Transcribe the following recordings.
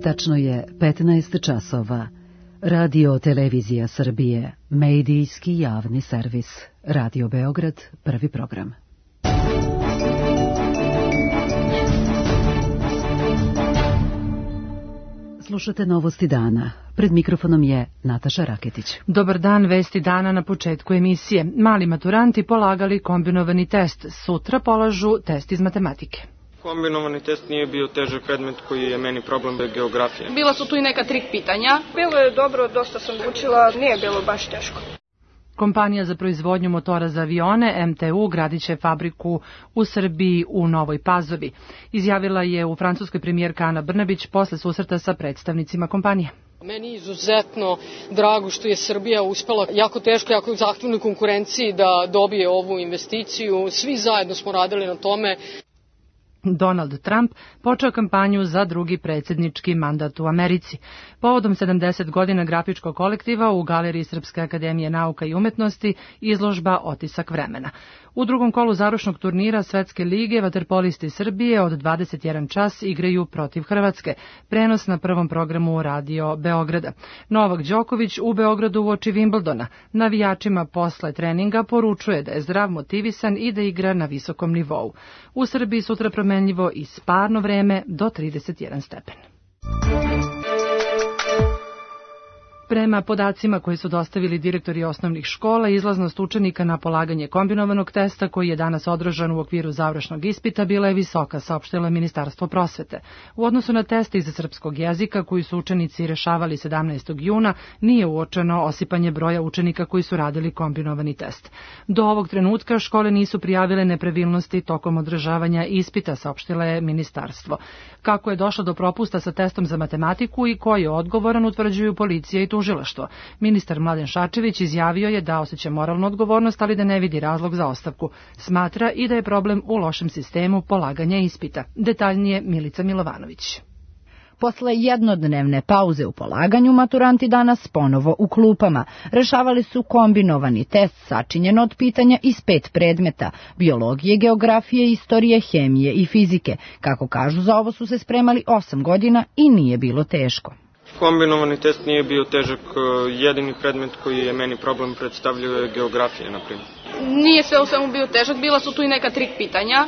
Tačno je 15 časova. Radio Televizija Srbije, medijski javni servis. Radio Beograd, prvi program. Slušate novosti dana. Pred mikrofonom je Nataša Raketić. Dobar dan, vesti dana na početku emisije. Mali maturanti polagali kombinovani test. Sutra polažu test iz matematike. Kombinovani test nije bio težak predmet koji je meni problem geografije. Bila su tu i neka trik pitanja. Bilo je dobro, dosta sam učila, nije bilo baš teško. Kompanija za proizvodnju motora za avione, MTU, gradit će fabriku u Srbiji u Novoj Pazovi. Izjavila je u Francuskoj premijerka Ana Brnabić posle susreta sa predstavnicima kompanije. Meni je izuzetno drago što je Srbija uspela jako teško, jako u zahtevnoj konkurenciji da dobije ovu investiciju. Svi zajedno smo radili na tome. Donald Trump počeo kampanju za drugi predsjednički mandat u Americi. Povodom 70 godina grafičkog kolektiva u Galeriji Srpske akademije nauka i umetnosti izložba Otisak vremena. U drugom kolu završnog turnira Svetske lige vaterpolisti Srbije od 21 čas igraju protiv Hrvatske. Prenos na prvom programu Radio Beograda. Novak Đoković u Beogradu uoči Wimbledona. Navijačima posle treninga poručuje da je zdrav, motivisan i da igra na visokom nivou. U Srbiji sutra promenljivo i sparno vreme do 31 stepen. Prema podacima koji su dostavili direktori osnovnih škola, izlaznost učenika na polaganje kombinovanog testa, koji je danas održan u okviru završnog ispita, bila je visoka, saopštilo Ministarstvo prosvete. U odnosu na teste iz srpskog jezika, koji su učenici rešavali 17. juna, nije uočeno osipanje broja učenika koji su radili kombinovani test. Do ovog trenutka škole nisu prijavile nepravilnosti tokom održavanja ispita, saopštilo je Ministarstvo. Kako je došlo do propusta sa testom za matematiku i ko je odgovoran, utvrđuju policija i tužilaštvo. Ministar Mladen Šarčević izjavio je da osjeća moralnu odgovornost, ali da ne vidi razlog za ostavku. Smatra i da je problem u lošem sistemu polaganja ispita. Detaljnije Milica Milovanović. Posle jednodnevne pauze u polaganju, maturanti danas ponovo u klupama. Rešavali su kombinovani test sačinjen od pitanja iz 5 predmeta: biologije, geografije, istorije, hemije i fizike. Kako kažu, za ovo su se spremali 8 godina i nije bilo teško. Kombinovani test nije bio težak, jedini predmet koji je meni problem predstavljao je geografija, na primjer. Nije sve u svemu bio težak, bila su tu i neka trik pitanja,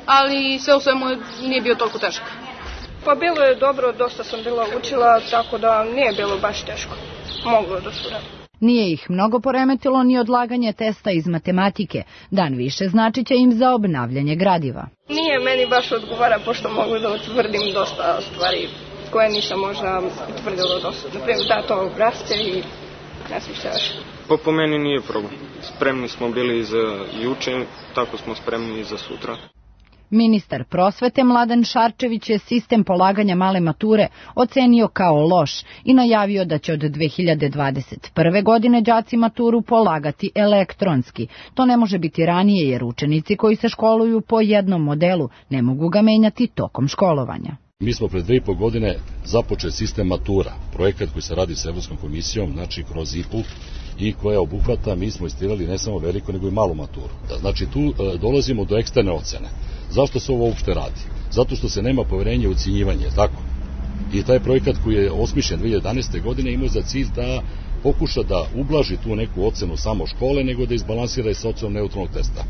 ali sve u svemu nije bio toliko težak. Pa bilo je dobro, dosta sam bila učila, tako da nije bilo baš teško. Moglo da se radi. Nije ih mnogo poremetilo ni odlaganje testa iz matematike. Dan više značit će im za obnavljanje gradiva. Nije meni baš odgovara, pošto mogu da utvrdim dosta stvari koje nisam možda utvrdila dosad. Naprimjer, dato obrazce i ne znam šta još. Pa po meni nije problem. Spremni smo bili za juče, tako smo spremni i za sutra. Ministar prosvete Mladen Šarčević je sistem polaganja male mature ocenio kao loš i najavio da će od 2021. godine đaci maturu polagati elektronski. To ne može biti ranije jer učenici koji se školuju po jednom modelu ne mogu ga menjati tokom školovanja. Mi smo pred 2,5 godine započeli sistem matura, projekat koji se radi sa Evropskom komisijom, znači kroz IPU, i koja obuhvata, mi smo istirali ne samo veliko, nego i malu maturu. Znači tu dolazimo do eksterne ocene. Zašto se ovo uopšte radi? Zato što se nema poverenja u ocenjivanje, tako? I taj projekat koji je osmišljen 2011. godine imao za cilj da pokuša da ublaži tu neku ocenu samo škole, nego da izbalansira i sa ocenom neutralnog testa.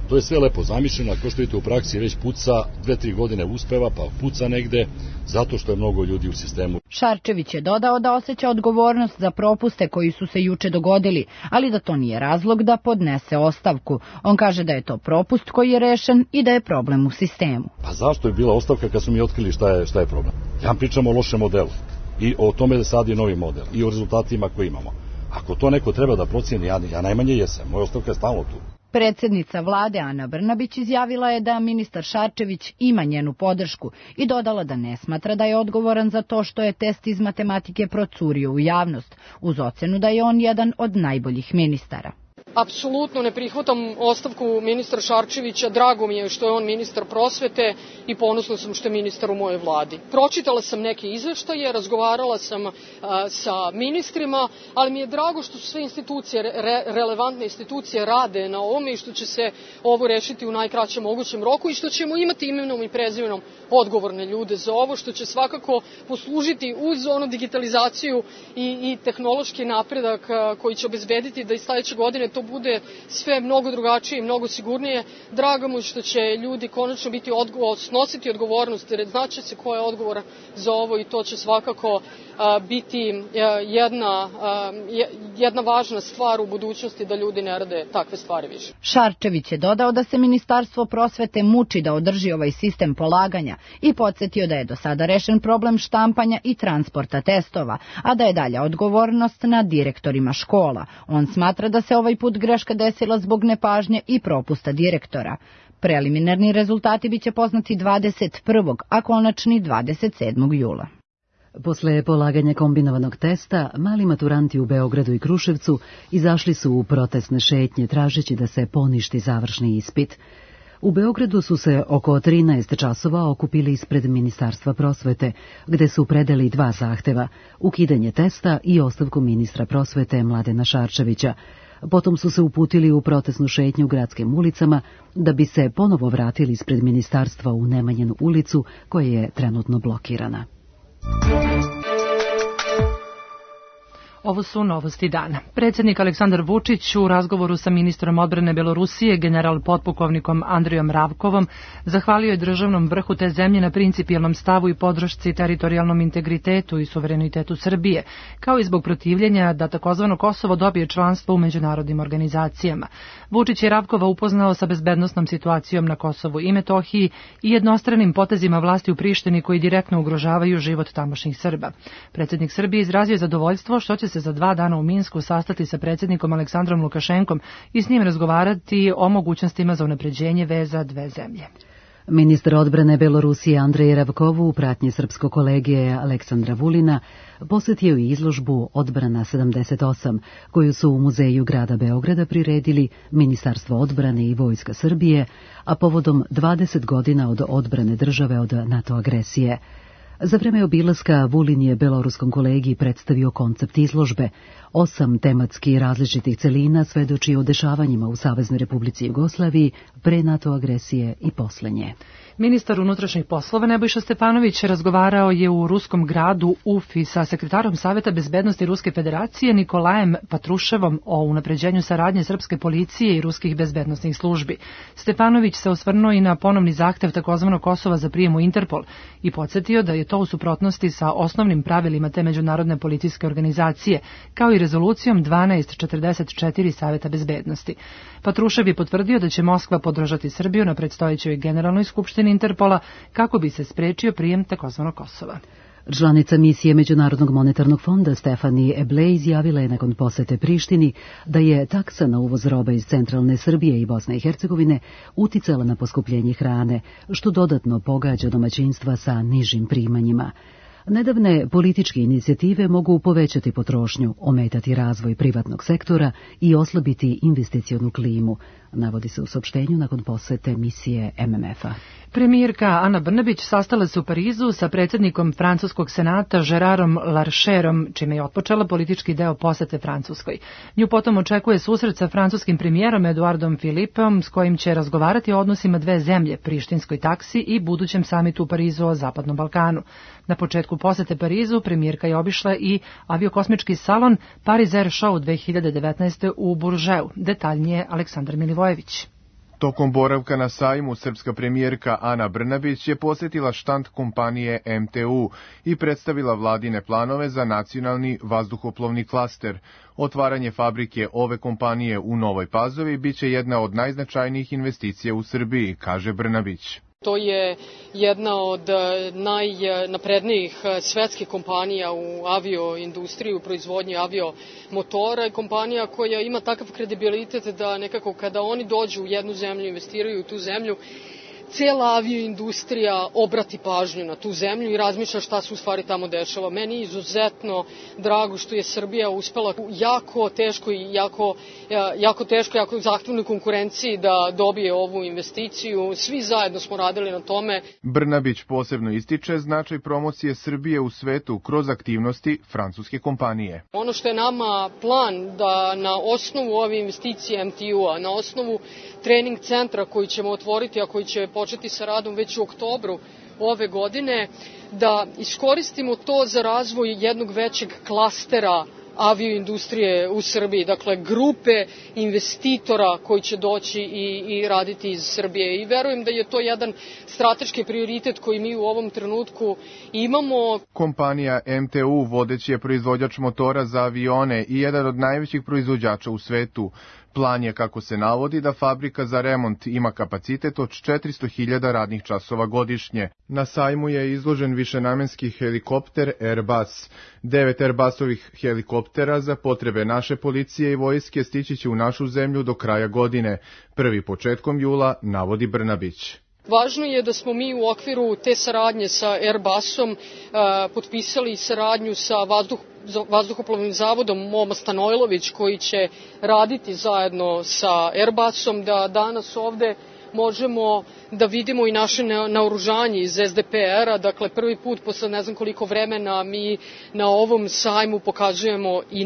To je sve lepo zamišljeno, ako što vidite u praksi već puca, 2-3 godine uspeva, pa puca negde, zato što je mnogo ljudi u sistemu. Šarčević je dodao da osjeća odgovornost za propuste koji su se juče dogodili, ali da to nije razlog da podnese ostavku. On kaže da je to propust koji je rešen i da je problem u sistemu. Pa zašto je bila ostavka kad su mi otkrili šta je problem? Ja pričam o lošem modelu i o tome da sad je novi model i o rezultatima koje imamo. Ako to neko treba da procjeni, ja najmanje jesam, moja ostavka je stalno tu. Predsjednica vlade Ana Brnabić izjavila je da ministar Šarčević ima njenu podršku i dodala da ne smatra da je odgovoran za to što je test iz matematike procurio u javnost, uz ocenu da je on jedan od najboljih ministara. Apsolutno ne prihvatam ostavku ministra Šarčevića, drago mi je što je on ministar prosvete i ponosna sam što je ministar u mojoj vladi. Pročitala sam neke izveštaje, razgovarala sam sa ministrima, ali mi je drago što su sve institucije, relevantne institucije rade na ovome i što će se ovo rešiti u najkraćem mogućem roku i što ćemo imati imenom i prezimenom odgovorne ljude za ovo, što će svakako poslužiti uz onu digitalizaciju i tehnološki napredak koji će obezbediti da i sledeće godine to bude sve mnogo drugačije i mnogo sigurnije. Drago mi što će ljudi konačno snositi odgovornost, jer znaće se ko je odgovoran za ovo i to će svakako biti jedna važna stvar u budućnosti da ljudi ne rade takve stvari više. Šarčević je dodao da se Ministarstvo prosvete muči da održi ovaj sistem polaganja i podsjetio da je do sada rešen problem štampanja i transporta testova, a da je dalja odgovornost na direktorima škola. On smatra da se ovaj put greška desila zbog nepažnje i propusta direktora. Preliminarni rezultati biće poznati 21. a konačni 27. jula. Posle polaganja kombinovanog testa, mali maturanti u Beogradu i Kruševcu izašli su u protestne šetnje tražeći da se poništi završni ispit. U Beogradu su se oko 13 časova okupili ispred Ministarstva prosvete, gde su predali 2 zahteva, ukidanje testa i ostavku ministra prosvete Mladena Šarčevića. Potom su se uputili u protestnu šetnju gradskim ulicama da bi se ponovo vratili ispred ministarstva u Nemanjinu ulicu koja je trenutno blokirana. Ovo su novosti dana. Predsjednik Aleksandar Vučić u razgovoru sa ministrom odbrane Belorusije, general potpukovnikom Andrijom Ravkovom, zahvalio je državnom vrhu te zemlje na principijelnom stavu i podršci teritorijalnom integritetu i suverenitetu Srbije, kao i zbog protivljenja da takozvano Kosovo dobije članstvo u međunarodnim organizacijama. Vučić je Ravkova upoznao sa bezbednosnom situacijom na Kosovu i Metohiji i jednostranim potezima vlasti u Prištini koji direktno ugrožavaju život tamošnjih Srba. Predsjednik Srbije izrazio zadovoljstvo što će se za 2 dana u Minsku sastati sa predsjednikom Aleksandrom Lukašenkom i s njim razgovarati o mogućnostima za unapređenje veza dve zemlje. Ministar odbrane Belorusije Andrej Ravkov u pratnji srpskog kolege Aleksandra Vulina posjetio i izložbu Odbrana 78, koju su u Muzeju grada Beograda priredili Ministarstvo odbrane i Vojska Srbije, a povodom 20 godina od odbrane države od NATO agresije. Za vreme obilaska Vulin je beloruskom kolegi predstavio koncept izložbe. 8 tematski različitih celina svedoči o dešavanjima u Saveznoj Republici Jugoslaviji pre NATO agresije i posle nje. Ministar unutrašnjih poslova Nebojša Stefanović razgovarao je u ruskom gradu Ufi sa sekretarom Saveta bezbednosti Ruske federacije Nikolajem Patruševom o unapređenju saradnje srpske policije i ruskih bezbednosnih službi. Stefanović se osvrnuo i na ponovni zahtev takozvanog Kosova za prijem u Interpol i podsjetio da je to u suprotnosti sa osnovnim pravilima te međunarodne policijske organizacije, kao i rezolucijom 1244 Saveta bezbednosti. Patrušev je potvrdio da će Moskva podržati Srbiju na predstojećoj generalnoj skupštini Interpola kako bi se sprečio prijem takozvanog Kosova. Članica misije Međunarodnog monetarnog fonda Stefani Eble izjavila je nakon posete Prištini da je taksa na uvoz roba iz centralne Srbije i Bosne i Hercegovine uticala na poskupljenje hrane, što dodatno pogađa domaćinstva sa nižim primanjima. Nedavne političke inicijative mogu povećati potrošnju, ometati razvoj privatnog sektora i oslabiti investicionu klimu, navodi se u saopštenju nakon posete misije MMF-a. Premijerka Ana Brnabić sastala se u Parizu sa predsjednikom Francuskog senata Gerarom Larcherom, čime je otpočela politički deo posete Francuskoj. Nju potom očekuje susret sa francuskim premijerom Eduardom Philippom, s kojim će razgovarati o odnosima dve zemlje, prištinskoj taksi i budućem samitu u Parizu o Zapadnom Balkanu. Na početku posete Parizu premijerka je obišla i aviokosmički salon Paris Air Show 2019. u Buržeu. Detaljnije Aleksandar Milivojević. Tokom boravka na sajmu, srpska premijerka Ana Brnabić je posjetila štand kompanije MTU i predstavila vladine planove za nacionalni vazduhoplovni klaster. Otvaranje fabrike ove kompanije u Novoj Pazovi biće jedna od najznačajnijih investicija u Srbiji, kaže Brnabić. To je jedna od najnaprednijih svetskih kompanija u avioindustriji, u proizvodnji aviomotora, kompanija koja ima takav kredibilitet da nekako kada oni dođu u jednu zemlju, investiraju u tu zemlju, cela avioindustrija obrati pažnju na tu zemlju i razmišlja šta se u stvari tamo dešava. Meni je izuzetno drago što je Srbija uspela u jako teškoj i jako zahtevnoj konkurenciji da dobije ovu investiciju. Svi zajedno smo radili na tome. Brnabić posebno ističe značaj promocije Srbije u svetu kroz aktivnosti francuske kompanije. Ono što je nama plan da na osnovu ove investicije MTU-a, na osnovu trening centra koji ćemo otvoriti, a koji će početi sa radom već u oktobru ove godine, da iskoristimo to za razvoj jednog većeg klastera avioindustrije u Srbiji, dakle grupe investitora koji će doći i raditi iz Srbije. I verujem da je to jedan strateški prioritet koji mi u ovom trenutku imamo. Kompanija MTU vodeći je proizvođač motora za avione i jedan od najvećih proizvođača u svetu. Plan je, kako se navodi, da fabrika za remont ima kapacitet od 400.000 radnih časova godišnje. Na sajmu je izložen višenamenski helikopter Airbus. 9 Airbusovih helikoptera za potrebe naše policije i vojske stići će u našu zemlju do kraja godine, prvi početkom jula, navodi Brnabić. Važno je da smo mi u okviru te saradnje sa Airbusom potpisali saradnju sa vazduhoplovnim zavodom Moma Stanojlović koji će raditi zajedno sa Airbusom, da danas ovde možemo da vidimo i naše naoružanje iz SDPR-a, dakle prvi put posle ne znam koliko vremena mi na ovom sajmu pokazujemo i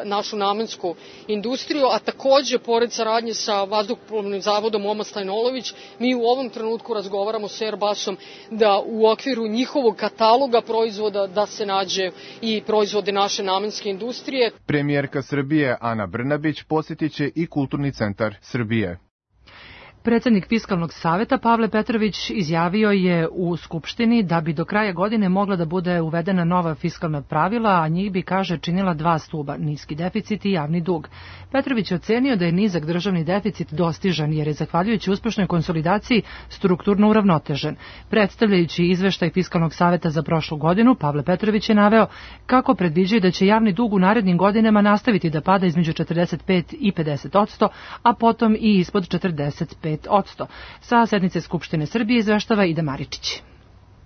našu namensku industriju, a takođe pored saradnje sa vazduhoplovnim zavodom Moma Stanojlović, mi u ovom trenutku razgovaramo sa Airbusom da u okviru njihovog kataloga proizvoda da se nađe i proizvode naše namenske industrije. Premijerka Srbije Ana Brnabić posjetit će i Kulturni centar Srbije. Predsednik Fiskalnog saveta Pavle Petrović izjavio je u Skupštini da bi do kraja godine mogla da bude uvedena nova fiskalna pravila, a njih bi, kaže, činila dva stuba, niski deficit i javni dug. Petrović je ocenio da je nizak državni deficit dostižan jer je, zahvaljujući uspešnoj konsolidaciji, strukturno uravnotežen. Predstavljajući izveštaj Fiskalnog saveta za prošlu godinu, Pavle Petrović je naveo kako predviđaju da će javni dug u narednim godinama nastaviti da pada između 45 i 50%, a potom i ispod 45%. Sa sednice Skupštine Srbije izveštava Ida Maričić.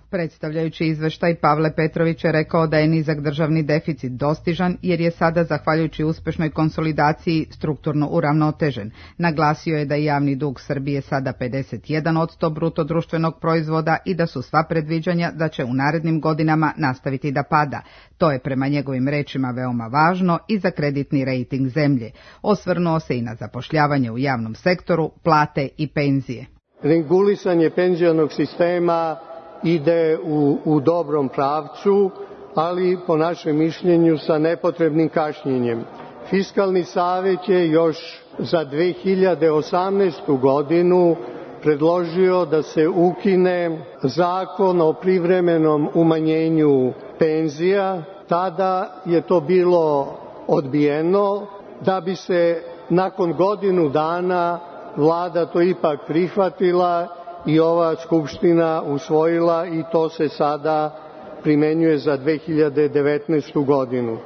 Predstavljajući izveštaj, Pavle Petrović je rekao da je nizak državni deficit dostižan jer je sada, zahvaljujući uspešnoj konsolidaciji, strukturno uravnotežen. Naglasio je da je javni dug Srbije sada 51% bruto društvenog proizvoda i da su sva predviđanja da će u narednim godinama nastaviti da pada. To je prema njegovim rečima veoma važno i za kreditni rejting zemlje. Osvrnuo se i na zapošljavanje u javnom sektoru, plate i penzije. Regulisanje penzionog sistema ide u dobrom pravcu, ali po našem mišljenju sa nepotrebnim kašnjenjem. Fiskalni savet je još za 2018. godinu predložio da se ukine zakon o privremenom umanjenju penzija. Tada je to bilo odbijeno, da bi se nakon godinu dana vlada to ipak prihvatila i ova Skupština usvojila i to se sada primenjuje za 2019. godinu.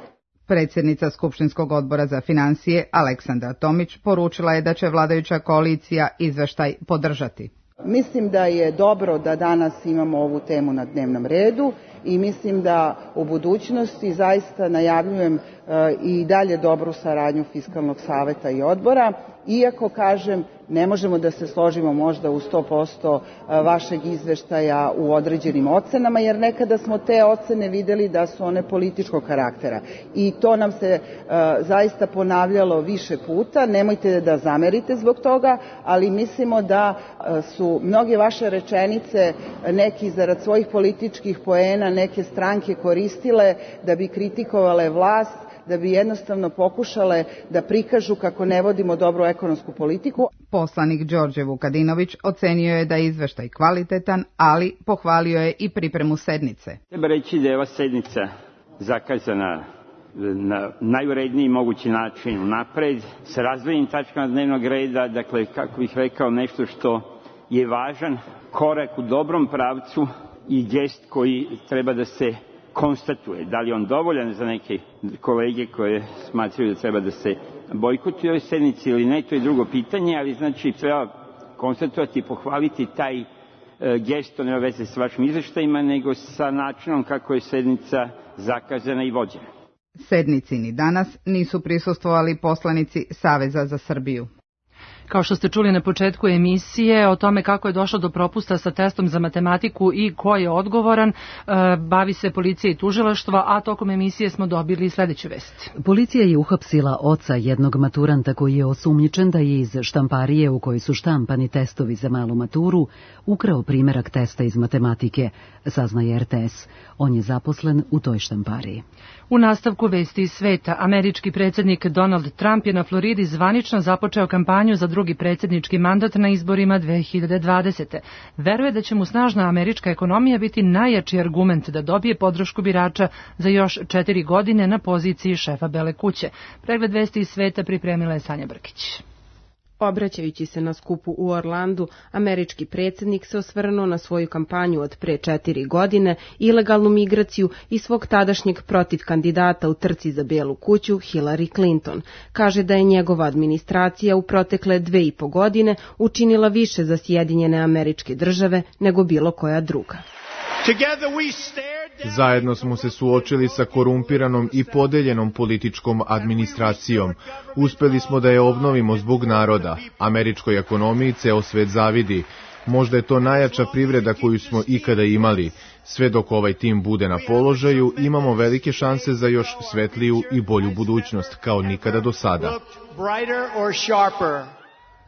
Predsjednica Skupštinskog odbora za finansije Aleksandra Tomić poručila je da će vladajuća koalicija izveštaj podržati. Mislim da je dobro da danas imamo ovu temu na dnevnom redu i mislim da u budućnosti zaista najavljujem i dalje dobru saradnju Fiskalnog saveta i odbora, iako, kažem, ne možemo da se složimo možda u 100% vašeg izveštaja u određenim ocenama, jer nekada smo te ocene videli da su one političkog karaktera. I to nam se zaista ponavljalo više puta. Nemojte da zamerite zbog toga, ali mislimo da su mnoge vaše rečenice neki zarad svojih političkih poena neke stranke koristile da bi kritikovale vlast, da bi jednostavno pokušale da prikažu kako ne vodimo dobru ekonomsku politiku. Poslanik Đorđe Vukadinović ocenio je da je izveštaj kvalitetan, ali pohvalio je i pripremu sednice. Treba reći da je ova sednica zakazana na najuredniji mogući način unapred, sa razvojenim tačkama dnevnog reda, dakle, kako bih rekao, nešto što je važan korak u dobrom pravcu i gest koji treba da se konstatuje. Da li on dovoljan za neke kolege koje smatraju da treba da se bojkotuje ovoj sednici ili ne, to je drugo pitanje, ali znači treba konstatovati i pohvaliti taj gesto, nema veze sa vašim izveštajima, nego sa načinom kako je sednica zakazana i vođena. Sednici ni danas nisu prisustvovali poslanici Saveza za Srbiju. Kao što ste čuli na početku emisije, o tome kako je došlo do propusta sa testom za matematiku i ko je odgovoran, bavi se policija i tužilaštvo, a tokom emisije smo dobili sledeću vest. Policija je uhapsila oca jednog maturanta koji je osumnjičen da je iz štamparije u kojoj su štampani testovi za malu maturu ukrao primerak testa iz matematike, saznaje RTS. On je zaposlen u toj štampariji. U nastavku vesti iz sveta, američki predsjednik Donald Trump je na Floridi zvanično započeo kampanju za drugi predsjednički mandat na izborima 2020. Veruje da će mu snažna američka ekonomija biti najjači argument da dobije podršku birača za još 4 godine na poziciji šefa Bele kuće. Pregled vesti iz sveta pripremila je Sanja Brkić. Obraćajući se na skupu u Orlandu, američki predsjednik se osvrnuo na svoju kampanju od pre 4 godine, ilegalnu migraciju i svog tadašnjeg protiv kandidata u trci za Belu kuću, Hillary Clinton. Kaže da je njegova administracija u protekle 2,5 godine učinila više za Sjedinjene Američke Države nego bilo koja druga. Zajedno smo se suočili sa korumpiranom i podeljenom političkom administracijom. Uspeli smo da je obnovimo zbog naroda. Američkoj ekonomiji ceo svet zavidi. Možda je to najjača privreda koju smo ikada imali. Sve dok ovaj tim bude na položaju, imamo velike šanse za još svetliju i bolju budućnost, kao nikada do sada.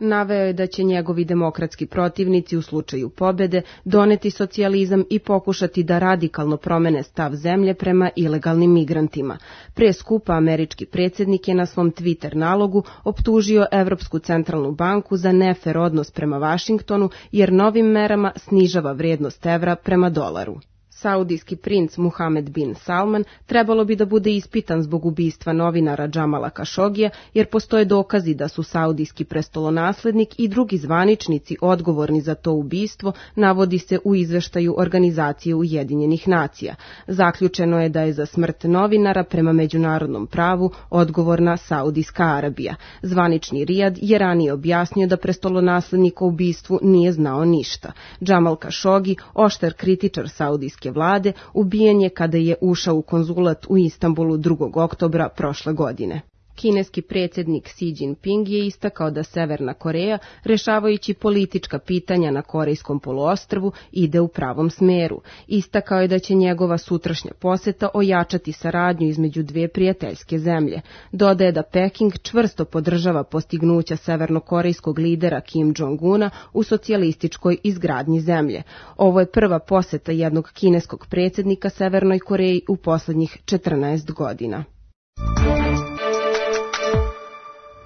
Naveo je da će njegovi demokratski protivnici u slučaju pobede doneti socijalizam i pokušati da radikalno promene stav zemlje prema ilegalnim migrantima. Pre skupa američki predsjednik je na svom Twitter nalogu optužio Evropsku centralnu banku za nefer odnos prema Vašingtonu jer novim merama snižava vrijednost evra prema dolaru. Saudijski princ Muhamed bin Salman trebalo bi da bude ispitan zbog ubistva novinara Džamala Kašogija, jer postoje dokazi da su saudijski prestolonaslednik i drugi zvaničnici odgovorni za to ubistvo, navodi se u izveštaju Organizacije Ujedinjenih nacija. Zaključeno je da je za smrt novinara prema međunarodnom pravu odgovorna Saudijska Arabija. Zvanični Rijad je ranije objasnio da prestolonaslednik o ubistvu nije znao ništa. Džamal Kašogi, oštar kritičar saudijske vlade, ubijen je kada je ušao u konzulat u Istanbulu 2. oktobra prošle godine. Kineski predsjednik Xi Jinping je istakao da Severna Koreja, rešavajući politička pitanja na Korejskom poluostrvu, ide u pravom smeru. Istakao je da će njegova sutrašnja poseta ojačati saradnju između dve prijateljske zemlje. Dodaje da Peking čvrsto podržava postignuća severnokorejskog lidera Kim Jong-una u socijalističkoj izgradnji zemlje. Ovo je prva poseta jednog kineskog predsjednika Severnoj Koreji u poslednjih 14 godina.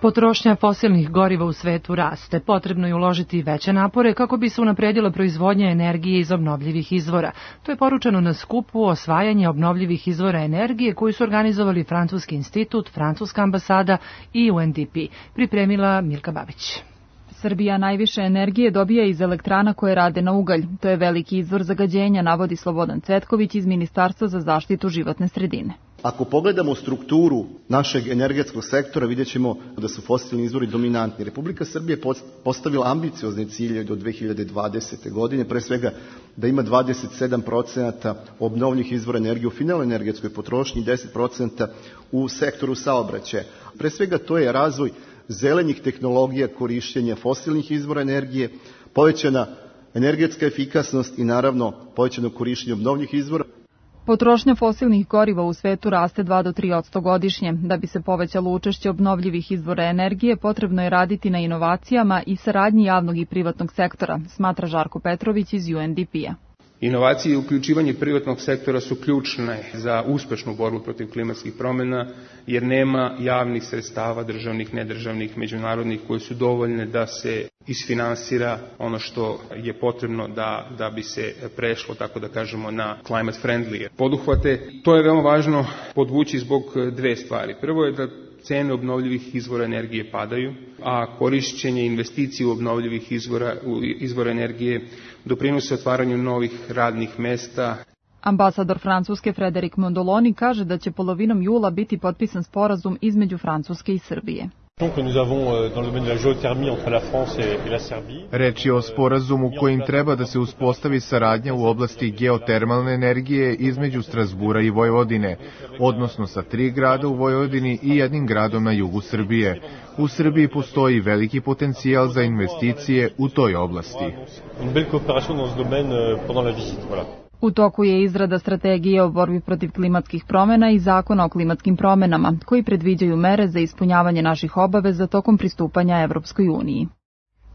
Potrošnja fosilnih goriva u svetu raste. Potrebno je uložiti veće napore kako bi se unapredila proizvodnja energije iz obnovljivih izvora. To je poručeno na skupu osvajanja obnovljivih izvora energije koju su organizovali Francuski institut, Francuska ambasada i UNDP. Pripremila Milka Babić. Srbija najviše energije dobija iz elektrana koje rade na ugalj. To je veliki izvor zagađenja, navodi Slobodan Cvetković iz Ministarstva za zaštitu životne sredine. Ako pogledamo strukturu našeg energetskog sektora, vidjet ćemo da su fosilni izvori dominantni. Republika Srbije postavila ambiciozne cilje do 2020. godine, pre svega da ima 27% obnovljivih izvora energije u finalnoj energetskoj potrošnji i 10% u sektoru saobraćaja. Pre svega to je razvoj zelenih tehnologija korišćenja fosilnih izvora energije, povećana energetska efikasnost i naravno povećano korišćenje obnovljivih izvora. Potrošnja fosilnih goriva u svetu raste 2 do 3% godišnje. Da bi se povećalo učešće obnovljivih izvora energije, potrebno je raditi na inovacijama i saradnji javnog i privatnog sektora, smatra Žarko Petrović iz UNDP-a. Inovacije i uključivanje privatnog sektora su ključne za uspešnu borbu protiv klimatskih promjena, jer nema javnih sredstava, državnih, nedržavnih, međunarodnih, koje su dovoljne da se isfinansira ono što je potrebno da bi se prešlo, tako da kažemo, na climate friendly poduhvate. To je veoma važno podvući zbog dve stvari. Prvo je da cene obnovljivih izvora energije padaju, a korišćenje investicije u obnovljivih izvora energije doprinose otvaranju novih radnih mesta. Ambasador Francuske Frederik Mondoloni kaže da će polovinom jula biti potpisan sporazum između Francuske i Srbije. Reč je o sporazumu kojim treba da se uspostavi saradnja u oblasti geotermalne energije između Strazbura i Vojvodine, odnosno sa 3 grada u Vojvodini i 1 gradom na jugu Srbije. U Srbiji postoji veliki potencijal za investicije u toj oblasti. U toku je izrada strategije o borbi protiv klimatskih promjena i zakona o klimatskim promjenama, koji predviđaju mere za ispunjavanje naših obaveza tokom pristupanja Evropskoj uniji.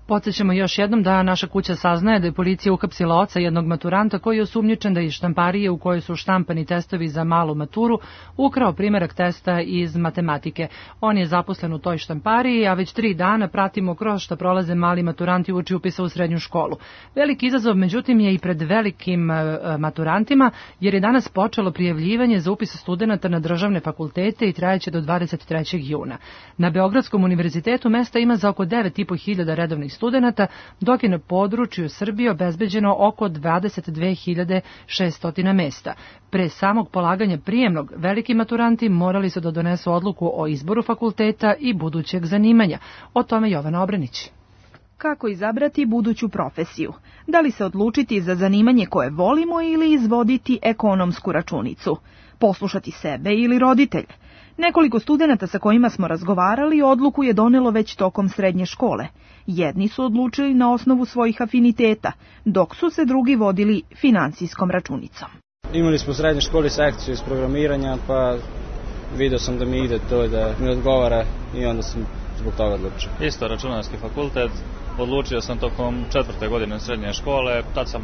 Podsjećamo još jednom da naša kuća saznaje da je policija uhapsila oca jednog maturanta koji je osumnjičen da iz štamparije u kojoj su štampani testovi za malu maturu ukrao primerak testa iz matematike. On je zaposlen u toj štampariji, a već 3 dana pratimo kroz šta prolaze mali maturanti uoči upisa u srednju školu. Veliki izazov, međutim, je i pred velikim maturantima, jer je danas počelo prijavljivanje za upis studenata na državne fakultete i trajeće do 23. juna. Na Beogradskom univerzitetu mesta ima za oko 9.500 redovnih studenata, dok je na području Srbije obezbeđeno oko 22.600 mesta. Pre samog polaganja prijemnog, veliki maturanti morali su da donesu odluku o izboru fakulteta i budućeg zanimanja. O tome Jovana Obrenić. Kako izabrati buduću profesiju? Da li se odlučiti za zanimanje koje volimo ili izvoditi ekonomsku računicu? Poslušati sebe ili roditelje? Nekoliko studenata sa kojima smo razgovarali odluku je donelo već tokom srednje škole. Jedni su odlučili na osnovu svojih afiniteta, dok su se drugi vodili finansijskom računicom. Imali smo u srednjoj školi sekciju iz programiranja, pa vidio sam da mi ide to, da mi odgovara i onda sam zbog toga odlučio. Isto računarski fakultet, odlučio sam tokom 4. godine srednje škole, tad sam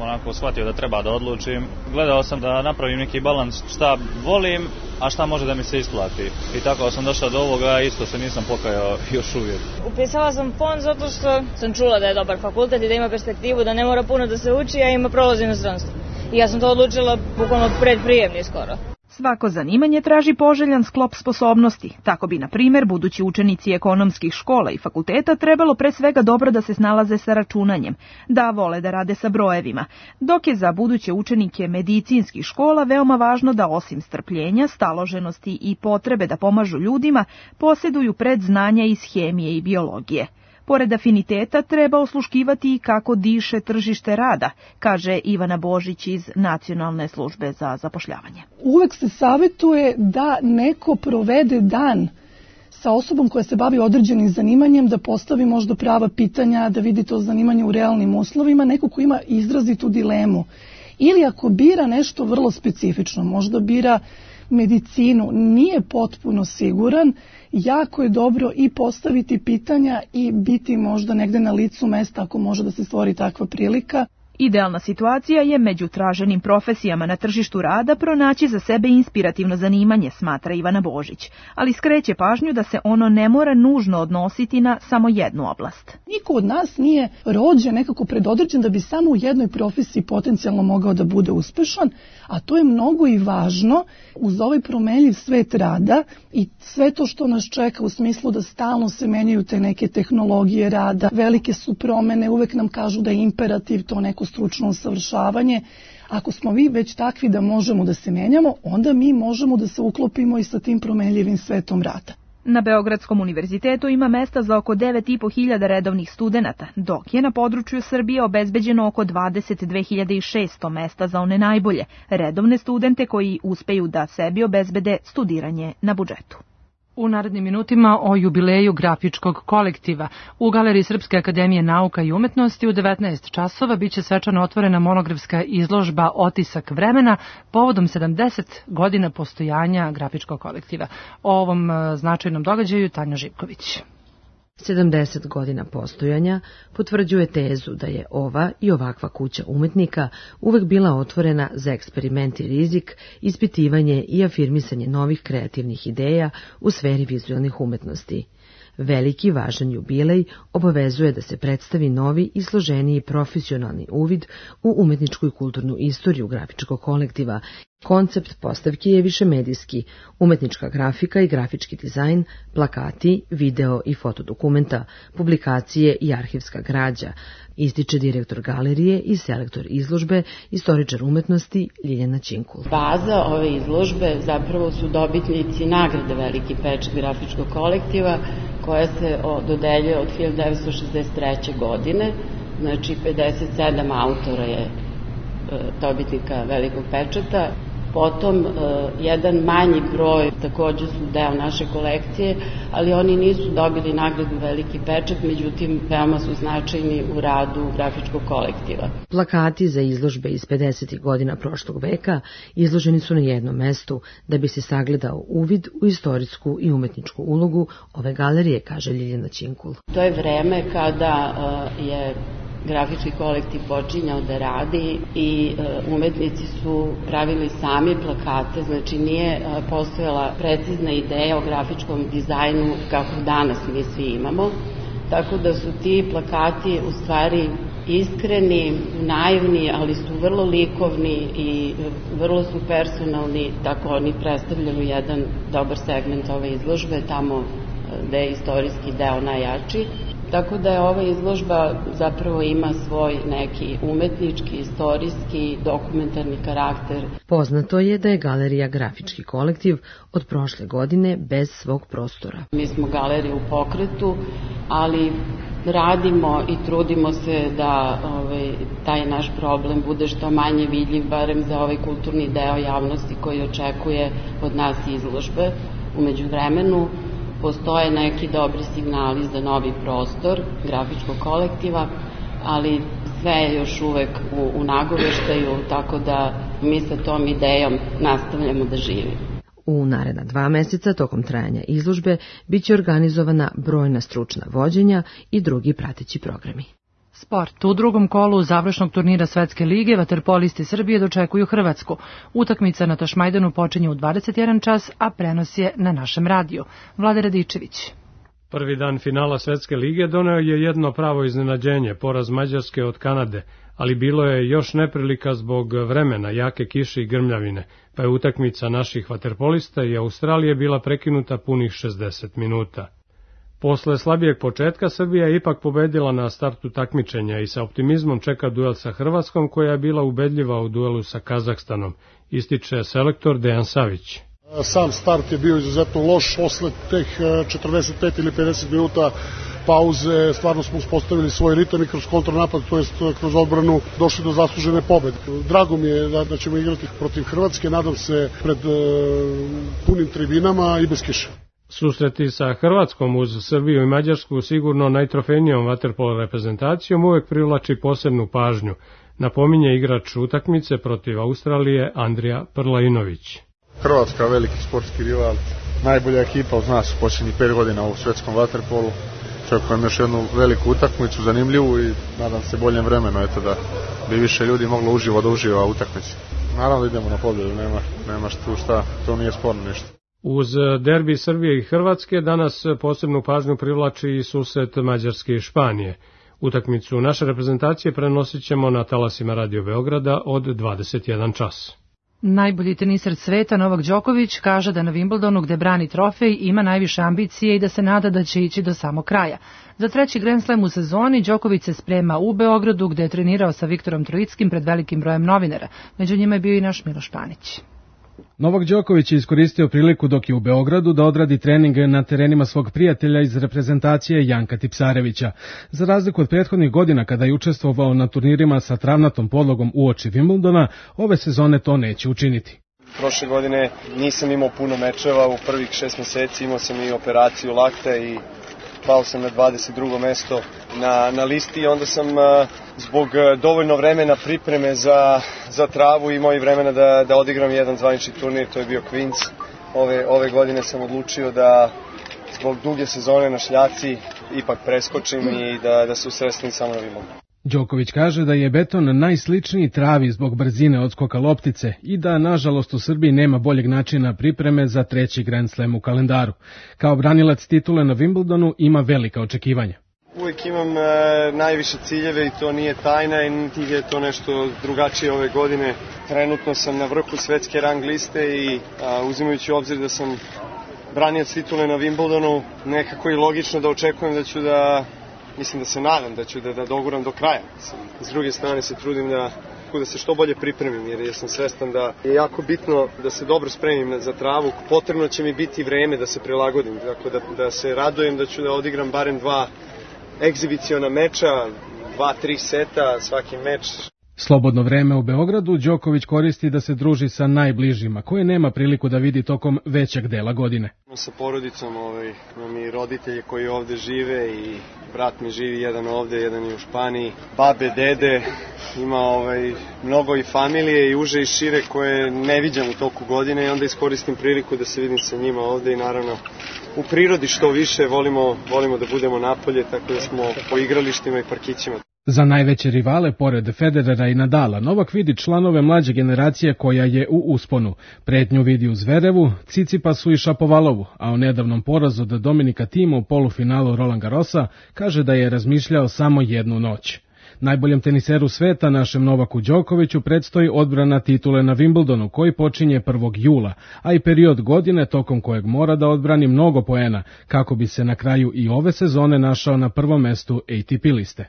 onako shvatio da treba da odlučim. Gledao sam da napravim neki balans šta volim, a šta može da mi se isplati. I tako sam došao do ovoga, isto se nisam pokajao još uvijek. Upisala sam fond zato što sam čula da je dobar fakultet i da ima perspektivu, da ne mora puno da se uči, a ima prolaz u inostranstvu. I ja sam to odlučila bukvalno predprijemni skoro. Svako zanimanje traži poželjan sklop sposobnosti. Tako bi, na primjer, budući učenici ekonomskih škola i fakulteta trebalo pre svega dobro da se snalaze sa računanjem, da vole da rade sa brojevima, dok je za buduće učenike medicinskih škola veoma važno da osim strpljenja, staloženosti i potrebe da pomažu ljudima, posjeduju predznanja iz hemije i biologije. Pored afiniteta treba osluškivati i kako diše tržište rada, kaže Ivana Božić iz Nacionalne službe za zapošljavanje. Uvek se savjetuje da neko provede dan sa osobom koja se bavi određenim zanimanjem, da postavi možda prava pitanja, da vidi to zanimanje u realnim uslovima, neko ko ima izrazitu dilemu. Ili ako bira nešto vrlo specifično, možda bira medicinu, nije potpuno siguran, jako je dobro i postaviti pitanja i biti možda negde na licu mesta ako može da se stvori takva prilika. Idealna situacija je među traženim profesijama na tržištu rada pronaći za sebe inspirativno zanimanje, smatra Ivana Božić, ali skreće pažnju da se ono ne mora nužno odnositi na samo jednu oblast. Niko od nas nije rođen nekako predodređen da bi samo u jednoj profesiji potencijalno mogao da bude uspešan, a to je mnogo i važno uz ovaj promenljiv svet rada i sve to što nas čeka u smislu da stalno se menjaju te neke tehnologije rada, velike su promene, uvek nam kažu da je imperativ to neko stručno usavršavanje. Ako smo vi već takvi da možemo da se menjamo, onda mi možemo da se uklopimo i sa tim promenljivim svetom rada. Na Beogradskom univerzitetu ima mesta za oko 9.500 redovnih studenata, dok je na području Srbije obezbeđeno oko 22.600 mesta za one najbolje, redovne studente koji uspeju da sebi obezbede studiranje na budžetu. U narednim minutima o jubileju grafičkog kolektiva. U Galeriji Srpske akademije nauka i umetnosti u 19 časova biće svečano otvorena monografska izložba Otisak vremena povodom 70 godina postojanja grafičkog kolektiva. O ovom značajnom događaju Tanja Živković. 70 godina postojanja potvrđuje tezu da je ova i ovakva kuća umetnika uvek bila otvorena za eksperiment i rizik, ispitivanje i afirmisanje novih kreativnih ideja u sferi vizualnih umetnosti. Veliki važan jubilej obavezuje da se predstavi novi i složeniji profesionalni uvid u umetničku i kulturnu istoriju grafičkog kolektiva Koncept postavki je višemedijski, umetnička grafika i grafički dizajn, plakati, video i fotodokumenta, publikacije i arhivska građa, ističe direktor galerije i selektor izložbe, istoričar umetnosti Ljiljana Činkul. Baza ove izložbe zapravo su dobitnici nagrade Veliki pečat grafičkog kolektiva, koja se dodeljuje od 1963. godine, znači 57 autora je dobitnika Velikog pečata. Potom jedan manji broj takođe su deo naše kolekcije, ali oni nisu dobili nagradu Veliki pečat, međutim veoma su značajni u radu grafičkog kolektiva. Plakati za izložbe iz 50. godina prošlog veka izloženi su na jednom mestu da bi se sagledao uvid u istorijsku i umetničku ulogu ove galerije, kaže Ljiljana Činkul. To je vreme kada je grafički kolektiv počinjao da radi i umetnici su pravili sami plakate, znači nije postojala precizna ideja o grafičkom dizajnu kako danas mi svi imamo, tako da su ti plakati u stvari iskreni, naivni, ali su vrlo likovni i vrlo su personalni, tako oni predstavljaju jedan dobar segment ove izložbe, tamo gde je istorijski deo najjači. Tako da je ova izložba zapravo ima svoj neki umetnički, istorijski, dokumentarni karakter. Poznato je da je galerija Grafički kolektiv od prošle godine bez svog prostora. Mi smo galerija u pokretu, ali radimo i trudimo se da taj naš problem bude što manje vidljiv, barem za ovaj kulturni deo javnosti koji očekuje od nas izložbe. U međuvremenu postoje neki dobri signali za novi prostor grafičkog kolektiva, ali sve je još uvek u nagoveštaju, tako da mi sa tom idejom nastavljamo da živimo. U naredna 2 meseca tokom trajanja izložbe biće organizovana brojna stručna vođenja i drugi prateći programi. Sport. U drugom kolu završnog turnira Svetske lige vaterpolisti Srbije dočekuju Hrvatsku. Utakmica na Tašmajdanu počinje u 21 čas, a prenos je na našem radiju. Vlada Radičević. Prvi dan finala Svetske lige doneo je jedno pravo iznenađenje, poraz Mađarske od Kanade, ali bilo je još neprilika zbog vremena, jake kiše i grmljavine, pa je utakmica naših vaterpolista i Australije bila prekinuta punih 60 minuta. Posle slabijeg početka Srbija je ipak pobedila na startu takmičenja i sa optimizmom čeka duel sa Hrvatskom, koja je bila ubedljiva u duelu sa Kazahstanom, ističe selektor Dejan Savić. Sam start je bio izuzetno loš, posle teh 45 ili 50 minuta pauze stvarno smo uspostavili svoj ritam i kroz kontranapad, to jest kroz odbranu, došli do zaslužene pobede. Drago mi je da ćemo igrati protiv Hrvatske, nadam se pred punim tribinama i bez kiše. Susreti sa Hrvatskom uz Srbiju i Mađarsku sigurno najtrofejnijom vaterpolo reprezentacijom uvek privlači posebnu pažnju, napominje igrač utakmice protiv Australije Andrija Prlainović. Hrvatska veliki sportski rival, najbolja ekipa od nas u posljednjih 5 godina u svetskom vaterpolu. Čekujem još jednu veliku utakmicu, zanimljivu i nadam se boljem vremenu, da bi više ljudi moglo uživo da uživa u utakmici. Naravno da idemo na pobjedu, nema tu šta, to nije sporno ništa. Uz derbi Srbije i Hrvatske danas posebnu pažnju privlači i susret Mađarske i Španije. Utakmicu naše reprezentacije prenosit ćemo na talasima Radio Beograda od 21 čas. Najbolji teniser sveta Novak Đoković kaže da na Wimbledonu, gde brani trofej, ima najviše ambicije i da se nada da će ići do samog kraja. Za 3. Grand Slam u sezoni Đoković se sprema u Beogradu, gde je trenirao sa Viktorom Trojickim pred velikim brojem novinara. Među njima je bio i naš Miloš Panić. Novak Đoković je iskoristio priliku dok je u Beogradu da odradi trening na terenima svog prijatelja iz reprezentacije Janka Tipsarevića. Za razliku od prethodnih godina kada je učestvovao na turnirima sa travnatom podlogom uoči Wimbledona, ove sezone to neće učiniti. Prošle godine nisam imao puno mečeva, u prvih 6 meseci imao sam i operaciju lakte i pao sam na 22. mesto na listi i onda sam zbog dovoljno vremena pripreme za travu imao i vremena da odigram jedan zvanični turnir, to je bio Queens. Ove godine sam odlučio da zbog duge sezone na šljaci ipak preskočim i da se usredstvim samo na Wimbledonu. Đoković kaže da je beton najsličniji travi zbog brzine odskoka loptice i da, nažalost, u Srbiji nema boljeg načina pripreme za 3. Grand Slam u kalendaru. Kao branilac titule na Wimbledonu ima velika očekivanja. Uvijek imam najviše ciljeve i to nije tajna i niti je to nešto drugačije ove godine. Trenutno sam na vrhu svetske rang liste i uzimajući u obzir da sam branilac titule na Wimbledonu, nekako je logično da očekujem da ću da se nadam da ću da doguram do kraja. S druge strane se trudim da se što bolje pripremim, jer sam svestan da je jako bitno da se dobro spremim za travu. Potrebno će mi biti vreme da se prilagodim, dakle da se radujem da ću da odigram barem 2 egzibiciona meča, 2-3 seta svaki meč. Slobodno vreme u Beogradu Đoković koristi da se druži sa najbližima, koje nema priliku da vidi tokom većeg dela godine. Sa porodicom, imam i roditelje koji ovde žive i brat mi živi jedan ovde, jedan i u Španiji. Babe, dede, ima mnogo i familije i uže i šire koje ne viđam u toku godine i onda iskoristim priliku da se vidim sa njima ovde i naravno u prirodi što više volimo da budemo napolje, tako da smo po igralištima i parkićima. Za najveće rivale, pored Federera i Nadala, Novak vidi članove mlađe generacije koja je u usponu. Pretnju vidi u Zverevu, Cicipasu i Šapovalovu, a o nedavnom porazu od Dominika Tima u polufinalu Roland Garrosa kaže da je razmišljao samo jednu noć. Najboljem teniseru sveta, našem Novaku Đokoviću, predstoji odbrana titule na Wimbledonu, koji počinje 1. jula, a i period godine tokom kojeg mora da odbrani mnogo poena, kako bi se na kraju i ove sezone našao na prvom mestu ATP liste.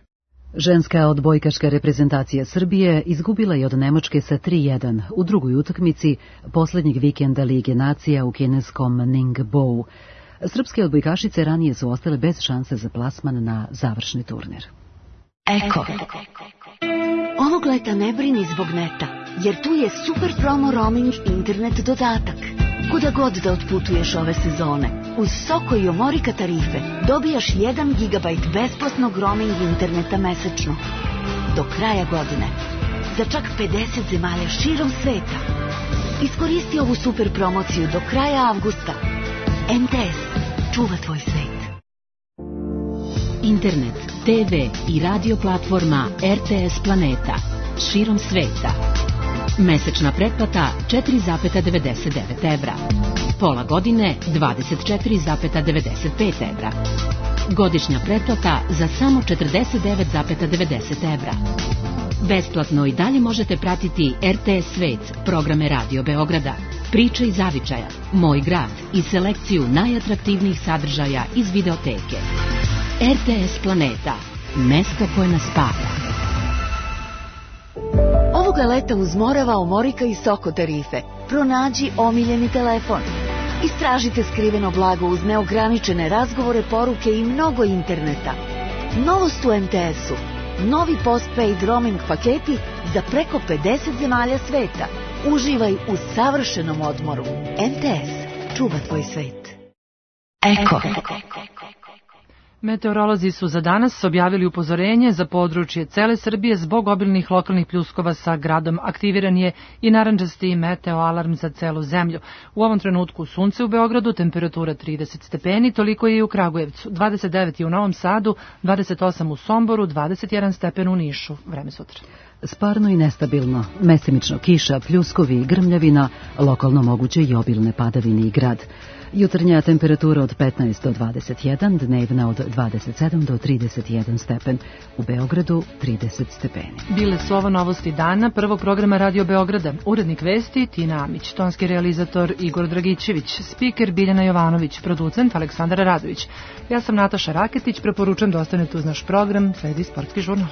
Ženska odbojkaška reprezentacija Srbije izgubila je od Nemačke sa 3:1 u drugoj utakmici poslednjeg vikenda Lige nacija u kineskom Ningbo. Srpske odbojkašice ranije su ostale bez šanse za plasman na završni turnir. Eko. Ovog leta ne brini zbog neta, jer tu je super promo roaming internet dodatak. Kuda god da otputuješ ove sezone, uz Soko i Omorika tarife dobijaš 1 GB besplatnog roaming interneta mesečno. Do kraja godine. Za čak 50 zemalja širom sveta. Iskoristi ovu super promociju do kraja avgusta. MTS. Čuva tvoj svet. Internet, TV i radio platforma RTS Planeta. Širom sveta. Mesečna pretplata 4,99 evra. Pola godine 24,95 evra. Godišnja pretplata za samo 49,90 evra. Besplatno i dalje možete pratiti RTS Svet, programe Radio Beograda, Priče iz Zavičaja, Moj grad i selekciju najatraktivnijih sadržaja iz videoteke. RTS Planeta, mesto koje nas spaja. Ovoga leta uz Morava, Omorika i Soko tarife pronađi omiljeni telefon. Istražite skriveno blago uz neograničene razgovore, poruke i mnogo interneta. Novost u MTS-u. Novi postpaid roaming paketi za preko 50 zemalja sveta. Uživaj u savršenom odmoru. MTS. Čuva tvoj svet. Eko. Meteorolozi su za danas objavili upozorenje za područje cele Srbije zbog obilnih lokalnih pljuskova sa gradom. Aktiviran je i narandžasti meteo alarm za celu zemlju. U ovom trenutku sunce u Beogradu, temperatura 30 stepeni, toliko je i u Kragujevcu, 29 je u Novom Sadu, 28 u Somboru, 21 stepen u Nišu. Vreme sutra. Sparno i nestabilno, mesemično kiša, pljuskovi i grmljavina, lokalno moguće i obilne padavine i grad. Jutarnja temperatura od 15 do 21, dnevna od 27 do 31 stepen. U Beogradu 30 stepeni. Bile su ovo novosti dana prvog programa Radio Beograda. Urednik vesti Tina Amić, tonski realizator Igor Dragićević, spiker Biljana Jovanović, producent Aleksandar Radović. Ja sam Nataša Raketić, preporučujem da ostanete uz naš program, sledi sportski žurnal.